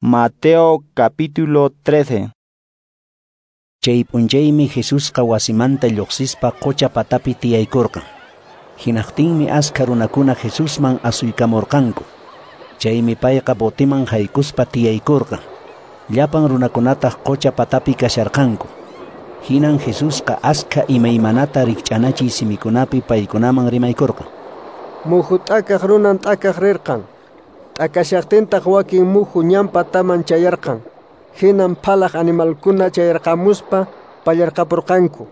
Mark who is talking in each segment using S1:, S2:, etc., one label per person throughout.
S1: Mateo capítulo 13.
S2: Chay p'unchaymi Jesusqa wasimanta lluqsispa qucha patapi tiyaykurqan. Hinaqtinmi askha runakuna Jesusman asuykamurqanku. Chaymi payqa botiman haykuspa tiyaykurqan. Llapan runakunataq qucha patapi kasharqanku. Hinan Jesusqa askha imaymanata rikch'anachiy simikunapi paykunaman rimaykurqan.
S3: Muhu t'akaq runan t'akaq rirqan. T'akashaqtintaq wakin muhu ñan pataman chayarqan. Hinan phalaq animalkuna chayarqamuspa pallarqapurqanku.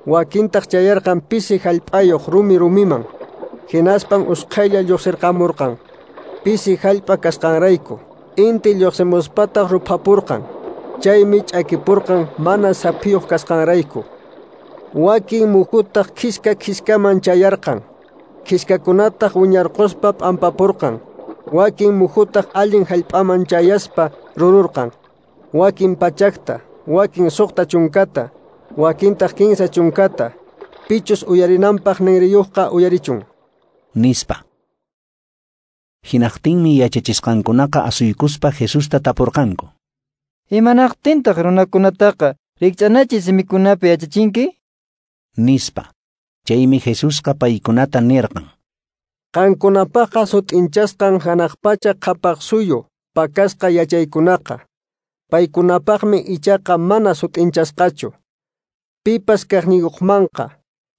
S3: Wakintaq chayarqan pisi hallp'ayuq rumi rumiman. Hinaspan usqhaylla lluqsirqamurqan. Pisi hallp'a kasqanrayku. Inti lluqsimuspataq ruphapurqan. Chaymi ch'akipurqan mana saphiyuq kasqanrayku. Wakin muhutaq khiska khiskaman chayarqan. Khiskakunataq wiñarquspa p'ampapurqan. Wakin muhutaq allin hallp'aman chayaspa rururqan. Wakin pachakta, wakin 60, wakintaq 30. Pichus uyarinanpaq ninriyuqqa uyarichun.
S2: Nispa. Hinaqtinmi yachachisqankunaqa asuykuspa Jesusta tapurqanku.
S4: Imanaqtintaq runakunataqa rikch'anachiy simikunapi yachachinki?
S2: Nispa. Chaymi Jesusqa paykunata nirqan.
S3: Qankunapaqqa sut'inchasqan hanaq pacha qhapaq suyu pakasqa yachaykunaqa. Paykunapaqmi ichaqa mana sut'inchasqachu. Pipas kaqniyuqmanqa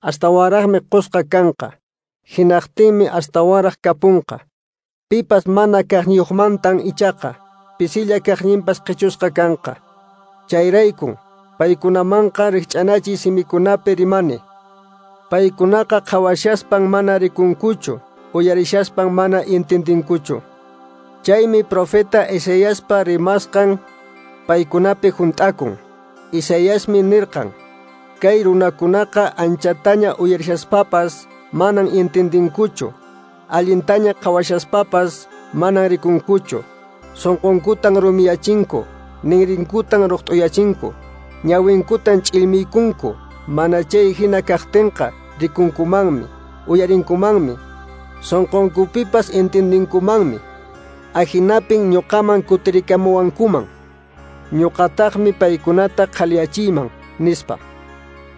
S3: astawanraqmi qusqa kanqa. Hinaqtinmi astawanraq kapunqa. Pipas mana kaqniyuqmantan ichaqa pisilla kaqninpas qichusqa kanqa. Chayraykun paykunamanqa rikch'anachiy simikunapi rimani. Paykunaqa qhawashaspan mana rikunkuchu, uyarishaspan mana intindinkuchu. Chaymi profeta Isaiaspa rimasqan paykunapi hunt'akun. Isaiasmi nirqan: Kay runakunaqa anchataña uyarishaspapas manan intindinkuchu, allintaña qhawashaspapas manan rikunkuchu. Sunqunkutan rumiyachinku, ninrinkutan ruqt'uyachinku, ñawinkutan ch'illmiykunku. Mana chay hina kaqtinqa rikunkumanmi, uyarinkumanmi, sunqunkupipas intindinkumanmi. Ahinapin ñuqaman kutirikamuwankuman. Ñuqataqmi paykunata qhaliyachiyman, nispa.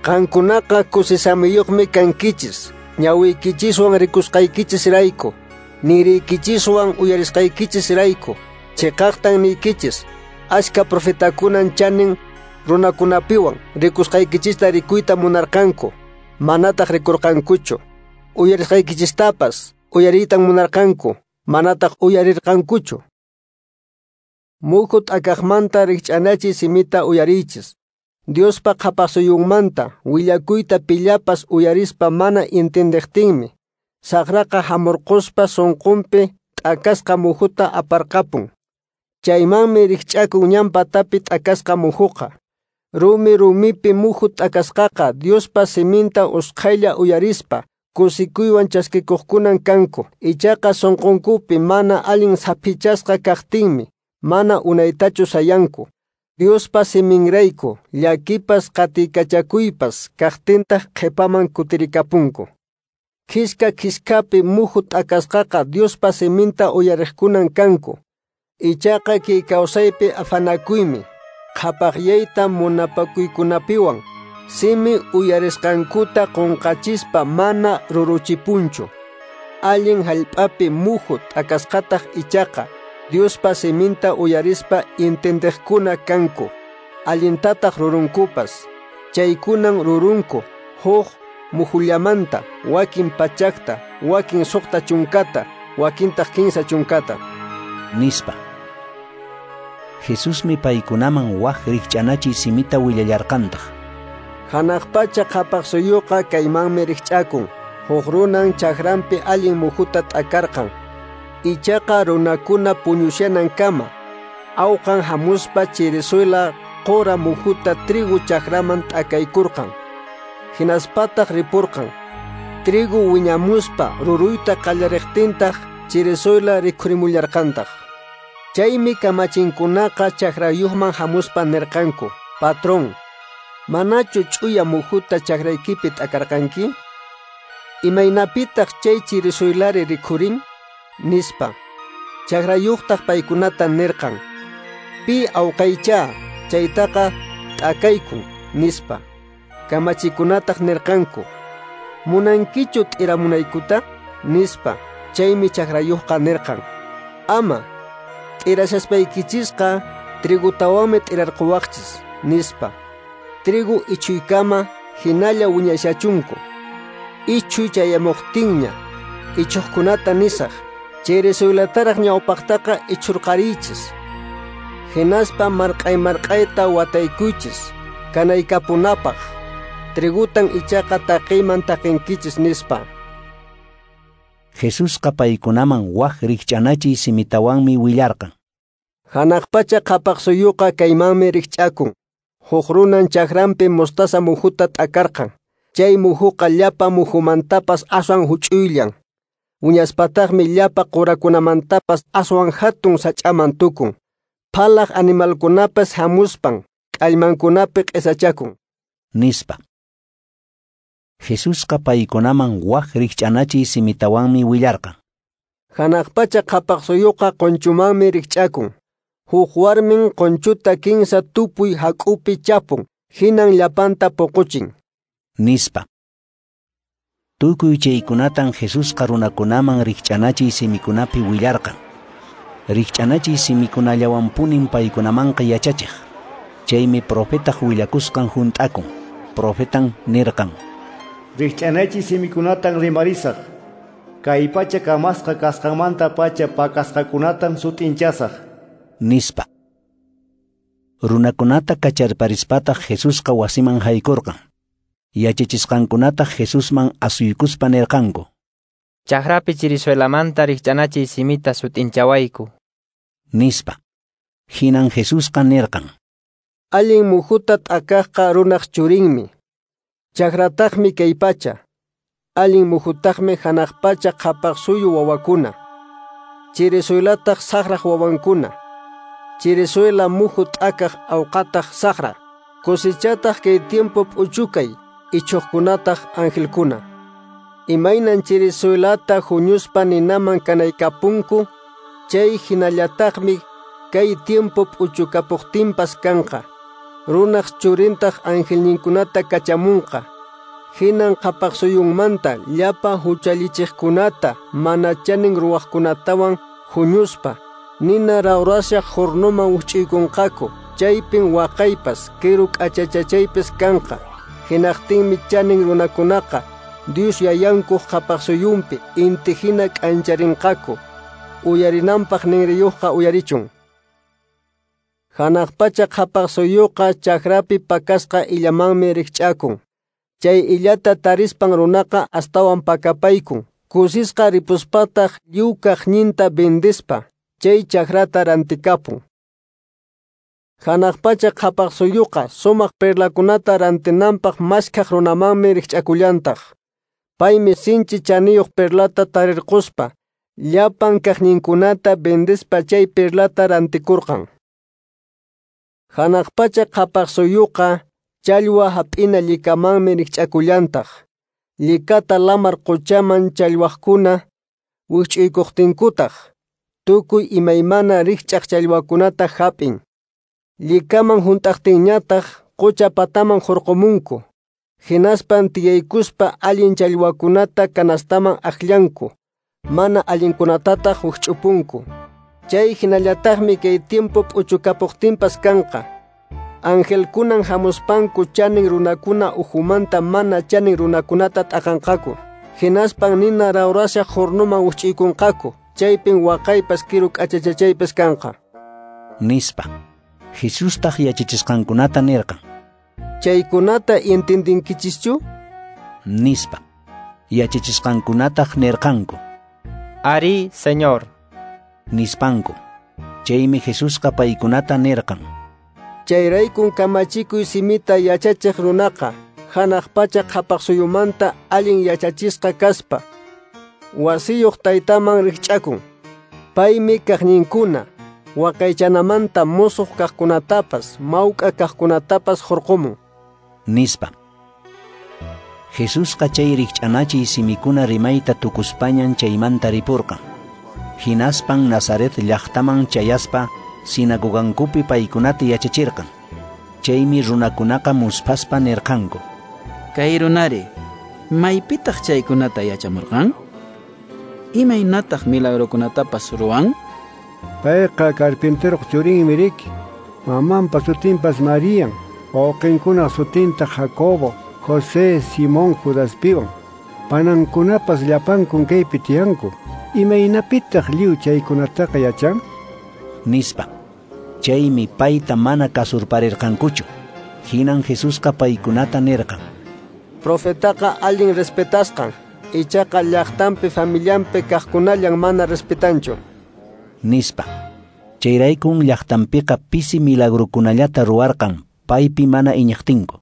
S3: Qankunaqa kusisamiyuqmi kankichis, ñawiykichiswan rikusqaykichisrayku, niriykichiswan uyarisqaykichisrayku. Chiqaqtan niykichis, achka profetakunan chanin runakunapiwan rikusqaykichista rikuyta munarqanku, manataq rikurqankuchu. Uyarisqaykichistapas uyariytan munarqanku, manataq uyarirqankuchu. Muhu t'akaqmanta rikch'anachiy simita uyariychis. Diospa qhapaqsuyunmanta willakuyta pillapas uyarispa mana intindiqtinmi, saqraqa hamurquspa sunqunpi t'akasqa muhuta aparqapun. Chaymanmi rikch'akun ñan patapi t'akasqa muhuqa. Rumi rumipi muhu t'akasqaqa Diospa siminta usqhaylla uyarispa kusikuywan chaskikuqkunan kanku. Ichaqa sunqunkupi mana allin saphichasqa kaqtinmi mana unaytachu sayanku. Diospa siminrayku llakipas qatikachakuypas kaqtintaq qhipaman kutirikapunku. Khiska khiskapi muhu t'akasqaqa Diospa siminta uyariqkunan kanku. Ichaqa kay kawsaypi afanakuymi, qhapaqyayta munapakuykunapiwan simi uyarisqankuta qunqachispa mana ruruchipunchu. Allin hallp'api muhu t'akasqataq ichaqa Diospa siminta uyarispa intindiqkuna kanku. Allintataq rurunkupas. Chaykunan rurunku huk muhullamanta, wakin 100, wakin 60, wakintaq 30.
S2: Nispa. Jesusmi paykunaman wak rikch'anachiy simita willallarqantaq.
S3: Hanaq pacha qhapaq suyuqa kaymanmi rikch'akun. Huk runan chakranpi allin muhuta t'akarqan. Ichaqa runakuna puñushanankama awqan hamuspa chirisuyla qura muhuta trigo chakraman t'akaykurqan. Hinaspataq ripurqan. Trigo wiñamuspa ruruyta qallariqtintaq chirisuyla rikhurimullarqantaq. Chaymi kamachinkunaqa chakrayuqman hamuspa nirqanku: Patrón, manachu ch'uya muhuta chakraykipi t'akarqanki? Imaynapitaq chay chirisuylari rikhurin? Nispa. Chakrayuqtaq paykunata nirqan: Pi awqaychá chaytaqa t'akaykun, nispa. Kamachikunataq nirqanku: Munankichu t'iramunaykuta? Nispa. Chaymi chakrayuqqa nirqan: Ama, t'irashaspaykichisqa trigutawanmi t'irarquwaqchis, nispa. Trigo ichuykama hinalla wiñashachunku. Ichuy chayamuqtinña ichuqkunata nisaq: Chirisuelataraq ñawpaqtaqa ichurqariychis. Hinaspa marq'ay marq'ayta wataykuychis kanaykapunapaq. Trigutan ichaqa taqiyman taqinkichis, nispa.
S2: Jesusqa paykunaman wak rikch'anachiy simitawanmi willarqan.
S3: Hanaq pacha qhapaq suyuqa kaymanmi rikch'akun. Huk runan chakranpi mostaza muhuta t'akarqan. Chay muhuqa llapa muhumantapas aswan huch'uyllan. Wiñaspataqmi llapa qurakunamantapas aswan hatun sach'aman tukun. Phalaq animalkunapas hamuspan k'allmankunapi q'isachakun,
S2: nispa. Jesusqa paykunaman wak rikch'anachiy simitawanmi willarqan.
S3: Hanaq pacha qhapaq suyuqa qunchumanmi rikch'akun. Huk warmin qunchuta kinsa tupuy hak'upi chapun, hinan llapanta puquchin,
S2: nispa. Tukuy chaykunatan Jesusqa runakunaman rikch'anachiy simikunapi willarqan. Rikch'anachiy simikunallawanpunin paykunamanqa yachachiq. Chaymi profetaq willakusqan hunt'akun. Profetan nirqan:
S5: Rikch'anachiy simikunatan rimarisaq. Kay pacha kamasqa kasqanmanta pacha pakasqakunatan sut'inchasaq,
S2: nispa. Runakunata kacharparispataq Jesusqa wasiman haykurqan. Yachachisqankunataq Jesusman asuykuspa nirqanku:
S4: Chakrapi chirisuelamanta rikch'anachiy simita sut'inchawayku,
S2: nispa. Hinan Jesusqa nirqan:
S3: Allin muhuta t'akaqqa runaq churinmi. Chakrataqmi kay pacha. Allin muhutaqmi hanaq pacha qhapaq suyu wawakuna. Chirisuelataq saqraq wawankuna. Chirisuela muhu t'akaq awqataq saqra. Cosechataq kay tiempo p'uchukay, ichuqkunataq angelkuna. Imaynan chirisuelata huñuspa ninaman kanaykapunku, chay hinallataqmi kay tiempo p'uchukapuqtinpas kanqa. Runaq churintaq angelninkunata kachamunqa. Hinan qhapaq suyunmanta llapa huchallichiqkunata mana chanin ruwaqkunatawan huñuspa nina rawrashaq hornoman wikch'uykunqaku. Chaypin waqaypas kiru k'achachachaypis kanqa. Hinaqtinmi chanin runakunaqa Dios yayankuq qhapaq suyunpi inti hina k'ancharinqaku. Uyarinanpaq ninriyuqqa uyarichun. Hanaq pacha qhapaq suyuqa chakrapi pakasqa illamanmi rikch'akun. Chay illata tarispan runaqa astawan pakapaykun. Kusisqa ripuspataq lliw kaqninta vendispa chay chakrata rantikapun. Hanaq pacha qhapaq suyuqa sumaq perlakunata rantinanpaq maskhaq runamanmi rikch'akullantaq. Paymi sinchi chaniyuq perlata tarirquspa llapan kaqninkunata vendispa chay perlata rantikurqan. Hanaq pacha qhapaq suyuqa challwa hap'ina llikamanmi rikch'akullantaq. Llikata lamar quchaman challwaqkuna wikch'uykuqtinkutaq tukuy imaymana rikch'aq challwakunata hap'in. Llikaman hunt'aqtinñataq qucha pataman hurqumunku. Hinaspan tiyaykuspa allin challwakunata kanastaman akllanku, mana allinkunatataq wikch'upunku. Chay hinallataqmi kay tiempo p'uchukapuqtinpas kanqa. Angelkunan hamuspanku chanin runakuna uhumanta mana chanin runakunata t'aqanqaku. Hinaspan nina rawrashaq hornoman wikch'uykunqaku. Chaypin waqaypas kiru k'achachachaypas kanqa,
S2: nispa. Jesustaq yachachisqankunata nirqan:
S3: Chaykunata entendinkichischu?
S2: Nispa. Yachachisqankunataq nirqanku:
S4: Ari, Señor,
S2: nispanku. Chaymi Jesusqa paykunata nirqan:
S3: Chayraykun kamachikuy simita yachachiq runaqa hanaq pacha qhapaq suyumanta allin yachachisqa kaspa wasiyuq taytaman rikch'akun. Paymi kaqninkuna waqaychanamanta musuq kaqkunatapas mawk'a kaqkunatapas hurqumun,
S2: nispa. Jesusqa chay rikch'anachiy simikuna rimayta tukuspañan chaymanta ripurqan. Hinaspan Nazaret llaqtaman chayaspa sinagogankupi paykunata yachachirqan. Chaymi runakunaqa musphaspa nirqanku:
S6: Kay runari, maypitaq chaykunata yachamurqan? Imaynataq milagrokunatapas ruwan?
S7: Payqa carpinteroq churinmi riki. Mamanpa sutinpas Marian, wawqinkunaq sutinta Jacobo, José, Simón, Judaspiwan. Panankunapas llapankun kaypi tiyanku. Imaynapitaq lliw chaykunataqa yachan?
S2: Nispa. Chaymi payta mana kasurparirqankuchu. Hinan Jesusqa paykunata nirqan:
S3: Profetaqa allin respetasqan, ichaqa llaqtanpi familianpi kaqkunallan mana respetanchu.
S2: Nispa. Chayraykun llaqtanpiqa pisi milagrukunallata ruwarqan paypi mana iñiqtinku.